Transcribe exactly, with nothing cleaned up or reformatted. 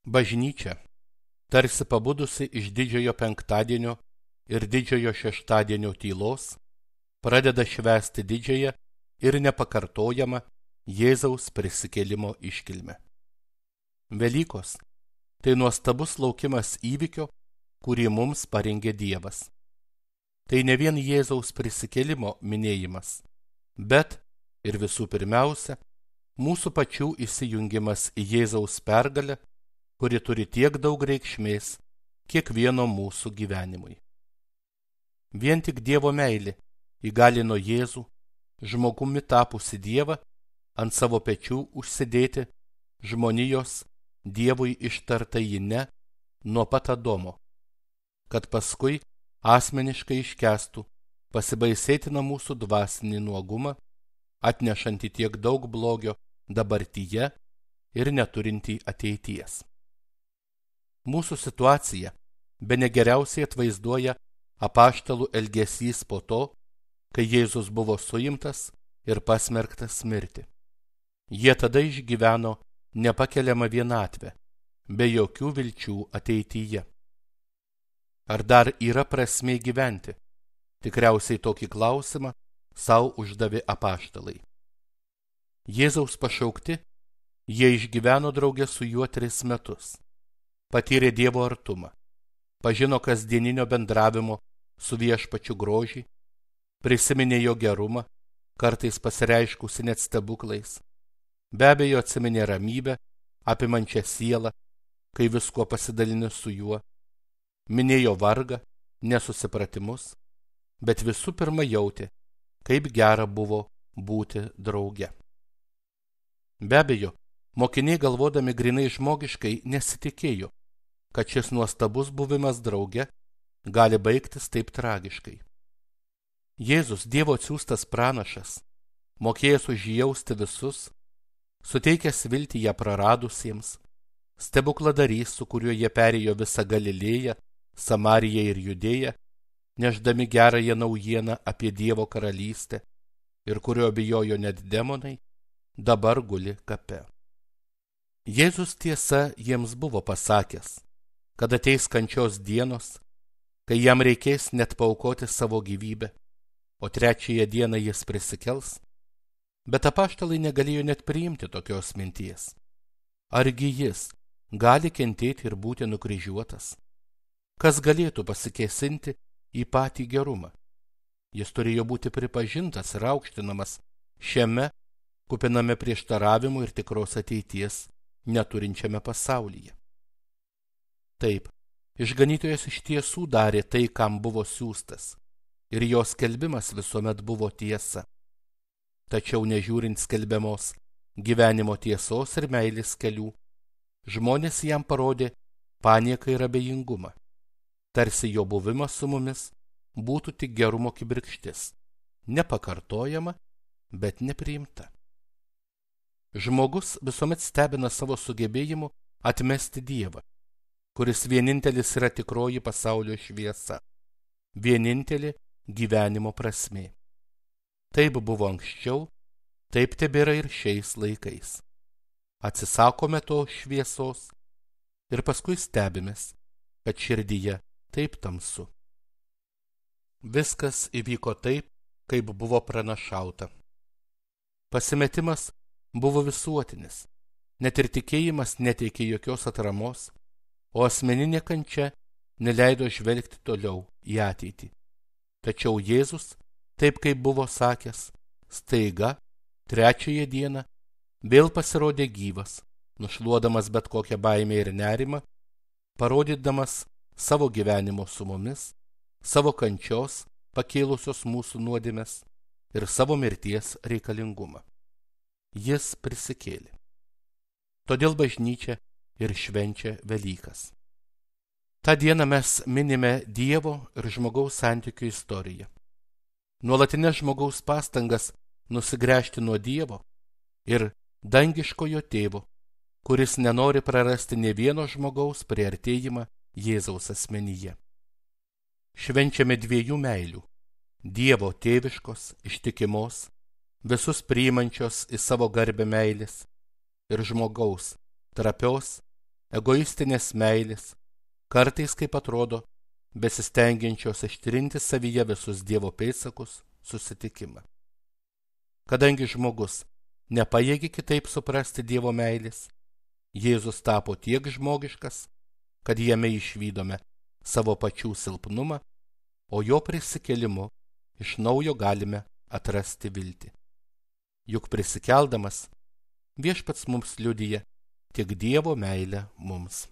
Bažnyčia, tarsi pabudusi iš didžiojo penktadienio ir didžiojo šeštadienio tylos, pradeda švęsti didžiąją ir nepakartojamą Jėzaus prisikėlimo iškilmę. Velykos – tai nuostabus laukimas įvykio, kurį mums parengė Dievas. Tai ne vien Jėzaus prisikėlimo minėjimas, bet ir visų pirmiausia, mūsų pačių įsijungimas į Jėzaus pergalę, kuri turi tiek daug reikšmės kiekvieno mūsų gyvenimui. Vien tik Dievo meilė įgalino Jėzų, žmogumi tapusi Dievą, ant savo pečių užsidėti žmonijos Dievui ištartąjį ne nuo pat Adomo, kad paskui asmeniškai iškęstų pasibaisėtiną mūsų dvasinį nuogumą, atnešantį tiek daug blogio dabartyje ir neturintį ateities. Mūsų situaciją bene geriausiai atvaizduoja apaštalų elgesys po to, kai Jėzus buvo suimtas ir pasmerktas mirti. Jie tada išgyveno nepakeliamą vienatvę, be jokių vilčių ateityje. Ar dar yra prasmė gyventi? Tikriausiai tokį klausimą sau uždavė apaštalai. Jėzaus pašaukti, jie išgyveno drauge su juo tris metus. Patyrė Dievo artumą, pažino kasdieninio bendravimo su viešpačiu grožį, prisiminė jo gerumą, kartais pasireiškusi net stebuklais, be abejo atsiminė ramybę, apimančią sielą, kai viskuo pasidalini su juo, minėjo vargą, nesusipratimus, bet visų pirma jautė, kaip gera buvo būti drauge. Be abejo, mokiniai galvodami grinai žmogiškai nesitikėjo, kad šis nuostabus buvimas drauge gali baigtis taip tragiškai. Jėzus, Dievo atsiųstas pranašas, mokėjęs užjausti visus, suteikęs viltį ją praradusiems, stebukladarys, su kuriuo jie perėjo visą Galilėją, Samariją ir Judėją, nešdami gerąją naujieną apie Dievo karalystę ir kurio bijojo net demonai, dabar guli kape. Jėzus tiesa jiems buvo pasakęs, kad ateis kančios dienos, kai jam reikės net paaukoti savo gyvybę, o trečiąją dieną jis prisikels, bet apaštalai negalėjo net priimti tokios minties. Argi jis gali kentėti ir būti nukryžiuotas? Kas galėtų pasikėsinti į patį gerumą? Jis turėjo būti pripažintas ir aukštinamas šiame kupiname prieštaravimų ir tikros ateities neturinčiame pasaulyje. Taip, išganytojas iš tiesų darė tai, kam buvo siųstas, ir jo skelbimas visuomet buvo tiesa. Tačiau nežiūrint skelbiamos gyvenimo tiesos ir meilės kelių, žmonės jam parodė panieką ir abejingumą, tarsi jo buvimas su mumis būtų tik gerumo kibirkštis, nepakartojama, bet nepriimta. Žmogus visuomet stebina savo sugebėjimu atmesti Dievą, kuris vienintelis yra tikroji pasaulio šviesa, vienintelė gyvenimo prasmė. Taip buvo anksčiau, taip tebėra ir šiais laikais. Atsisakome to šviesos ir paskui stebimės, kad širdyje taip tamsu. Viskas įvyko taip, kaip buvo pranašauta. Pasimetimas buvo visuotinis, net ir tikėjimas neteikė jokios atramos, o asmeninė kančia neleido žvelgti toliau į ateitį. Tačiau Jėzus, taip kaip buvo sakęs, staiga, trečiąją dieną, vėl pasirodė gyvas, nušluodamas bet kokią baimę ir nerimą, parodydamas savo gyvenimo su mumis, savo kančios pakėlusios mūsų nuodėmes ir savo mirties reikalingumą. Jis prisikėlė. Todėl bažnyčia ir švenčia Velykas. Ta diena mes minime Dievo ir žmogaus santykių istoriją. Nuolatinės žmogaus pastangas nusigręžti nuo Dievo ir dangiškojo tėvo, kuris nenori prarasti nė vieno žmogaus priartėjimą Jėzaus asmenyje. Švenčiame dviejų meilių – Dievo tėviškos, ištikimos, visus priimančios į savo garbę meilės ir žmogaus, trapios, egoistinės meilės, kartais, kaip atrodo, besistengiančios ištrinti savyje visus Dievo pėdsakus, susitikimą. Kadangi žmogus nepajėgi kitaip suprasti Dievo meilės, Jėzus tapo tiek žmogiškas, kad jame išvydome savo pačių silpnumą, o jo prisikėlimu iš naujo galime atrasti viltį. Juk prisikeldamas, Viešpats mums liudija tik Dievo meilę mums.